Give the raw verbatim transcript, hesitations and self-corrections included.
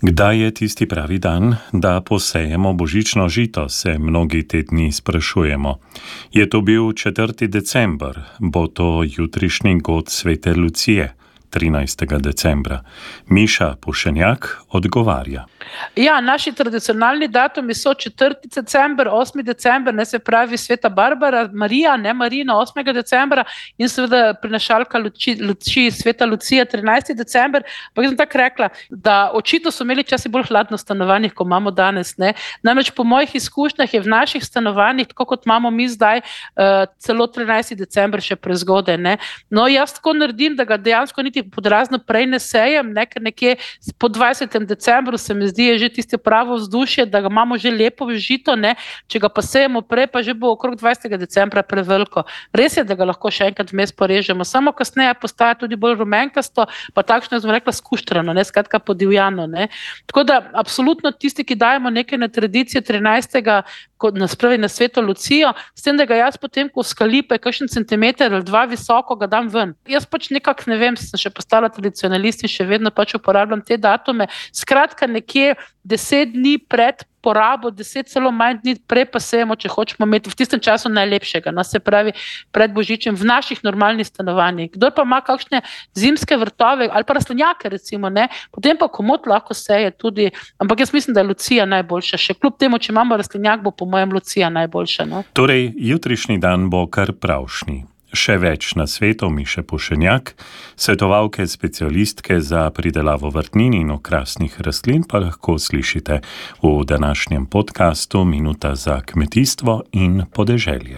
Kdaj je tisti pravi dan, da posejemo božično žito, se mnogi te dni sprašujemo. Je to bil četrti december, bo to jutrišnji god svete Lucije, trinajstega decembra. Miša Pušenjak odgovarja. Ja, naši tradicionalni datumi so četrti december, osmi december, ne se pravi sveta Barbara, Marija, ne Marina, osmega decembra in seveda prinašalka luči, luči sveta Lucija, trinajsti december. Pa jaz sem tako rekla, da očitno so imeli časi bolj hladno stanovanjih, kot imamo danes. Ne? Namreč po mojih izkušnjah je v naših stanovanjih, tako kot imamo mi zdaj, uh, celo trinajsti december še prezgodaj. Ne? No, jaz tako naredim, da ga dejansko niti podrazno prej ne sejem, ne? Ker nekje po dvajsetem decembru se mi zdi, je že tisto pravo vzdušje, da ga imamo že lepo žito, ne? Če ga pa sejemo prej, pa že bo okrog dvajsetega decembra preveliko. Res je, da ga lahko še enkrat vmes porežemo, samo kasneje postaja tudi bolj rumenkasto, pa takšno, jaz bom rekla, skuštrano, ne, skratka podivjano, ne. Tako da, absolutno tisti, ki dajemo nekaj na tradicijo trinajstega na spravi na sveto Lucijo, s tem, da ga jaz potem, ko skalipe, kakšen centimeter ali dva visoko, ga dam ven. Jaz pač nekako, ne vem, sem še postala tradicionalist in še vedno pač uporabljam te datume. Skratka, nekje deset dni pred porabo, deset celo manj dni prej pa sejemo, če hočemo imeti v tistem času najlepšega, no, se pravi pred božičem v naših normalnih stanovanjih. Kdor pa ima kakšne zimske vrtove ali pa rastlinjake recimo, ne, potem pa komot lahko seje tudi, ampak jaz mislim, da je Lucija najboljša. Še kljub temu, če imamo rastlinjak, bo po mojem Lucija najboljša. No. Torej, jutrišnji dan bo kar pravšnji. Še več na svetu Miše Pušenjak, svetovalke specialistke za pridelavo vrtnin in okrasnih rastlin, pa lahko slišite v današnjem podcastu Minuta za kmetijstvo in podeželje.